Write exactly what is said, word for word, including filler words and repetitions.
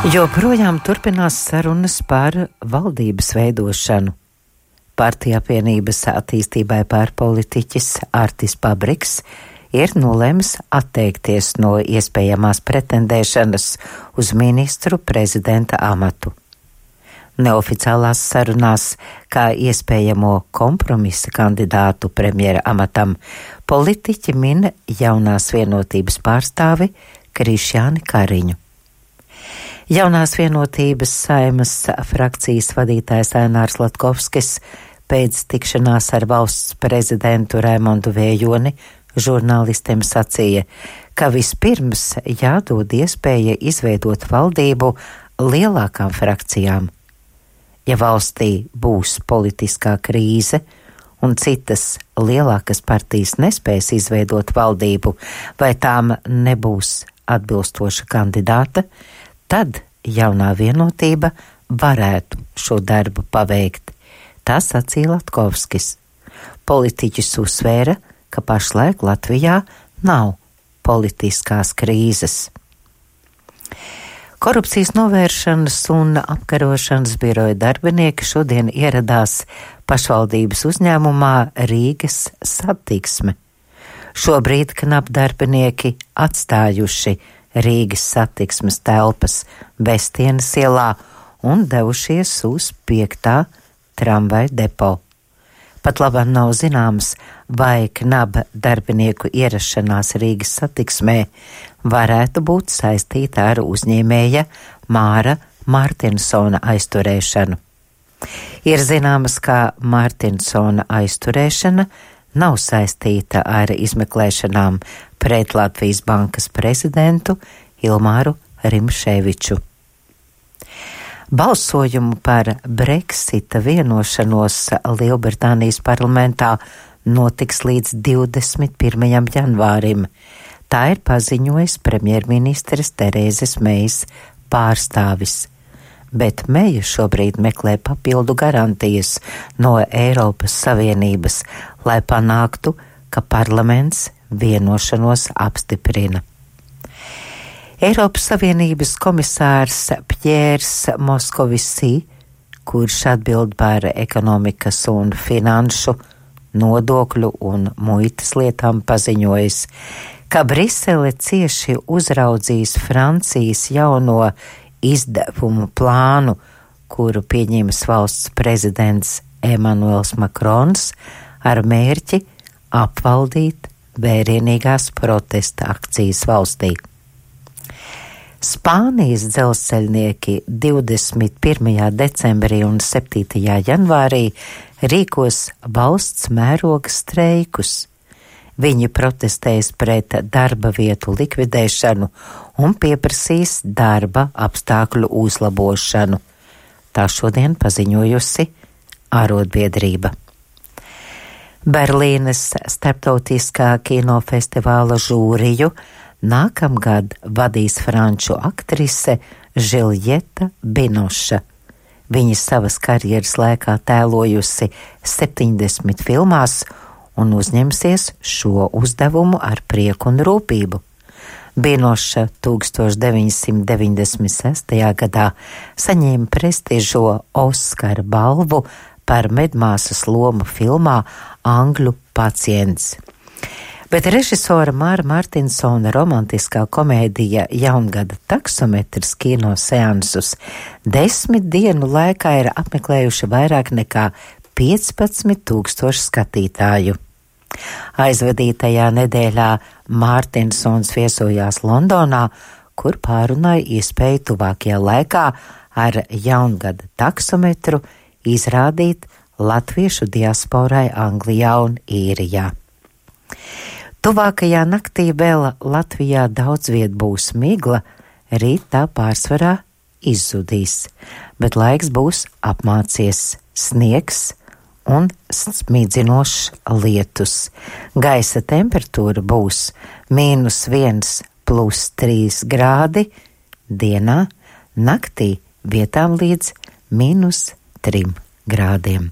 Joprojām turpinās sarunas par valdības veidošanu. Partija apvienības attīstībai pārpolitiķis Artis Pabriks ir nolēmis atteikties no iespējamās pretendēšanas uz ministru prezidenta amatu. Neoficiālās sarunās, kā iespējamo kompromisa kandidātu premjera amatam, politiķi min Jaunās vienotības pārstāvi Krišjāni Kariņu. Jaunās vienotības Saeimas frakcijas vadītājs Ainārs Latkovskis pēc tikšanās ar valsts prezidentu Raimondu Vējoni žurnālistiem sacīja, ka vispirms jādod iespēja izveidot valdību lielākām frakcijām. Ja valstī būs politiskā krīze un citas lielākas partijas nespēs izveidot valdību vai tām nebūs atbilstoša kandidāta, tad Jaunā vienotība varētu šo darbu paveikt. Tā sacīja Latkovskis. Politiķis uzsvēra, ka pašlaik Latvijā nav politiskās krīzes. Korupcijas novēršanas un apkarošanas biroja darbinieki šodien ieradās pašvaldības uzņēmumā Rīgas Satiksme. Šobrīd knap darbinieki atstājuši Rīgas Satiksmes telpas Bestienas ielā un devušies uz piektā tramvaja depo. Pat labāk nav zināms, vai knaba darbinieku ierašanās Rīgas Satiksmē varētu būt saistīta ar uzņēmēja Māra Martinsona aizturēšanu. Ir zināms, ka Martinsona aizturēšana nav saistīta ar izmeklēšanām pret Latvijas bankas prezidentu Ilmāru Rimšēviču. Balsojumu par Brexita vienošanos Lielbritānijas parlamentā notiks līdz divdesmit pirmajam janvārim. Tā ir paziņojis premjerministres Terēzes Mejas pārstāvis. Bet Meja šobrīd meklē papildu garantijas no Eiropas Savienības, lai panāktu, ka parlaments vienošanos apstiprina. Eiropas Savienības komisārs Pjērs Moskovisī, kurš atbild par ekonomikas un finanšu, nodokļu un muitas lietām, paziņojis, ka Brisele cieši uzraudzīs Francijas jauno izdevumu plānu, kuru pieņems valsts prezidents Emanuels Makrons ar mērķi apvaldīt vērienīgās protesta akcijas valstī. Spānijas dzelzceļnieki divdesmit pirmajā decembrī un septītajā janvārī rīkos valsts mēroga streikus. Viņi protestēs pret darba vietu likvidēšanu un pieprasīs darba apstākļu uzlabošanu. Tā šodien paziņojusi arotbiedrība. Berlīnes starptautiskā kinofestivāla žūriju nākamgad vadīs franču aktrise Žiljeta Binoša. Viņa savas karjeras laikā tēlojusi septiņdesmit filmās un uzņemsies šo uzdevumu ar prieku un rūpību. Binoša tūkstoš deviņsimt deviņdesmit sestajā gadā saņēma prestižo Oskara balvu par medmāsas lomu filmā Angļu pacients. Bet režisora Māra Martinsona romantiskā komēdija Jaungada taksometrs kino seansus desmit dienu laikā ir apmeklējuši vairāk nekā piecpadsmit tūkstoši skatītāju. Aizvadītajā nedēļā Mārtinsons viesojās Londonā, kur pārunāja iespēju tuvākajā laikā ar Jaungada taksometru izrādīt latviešu diasporai Anglijā un Īrijā. Tuvākajā naktī vēl Latvijā daudz viet būs migla, rīt tā pārsvarā izzudīs, bet laiks būs apmācies, sniegs un smīdzinošs lietus. Gaisa temperatūra būs mīnus viens plus trīs grādi dienā, naktī vietām līdz mīnus trim grādiem.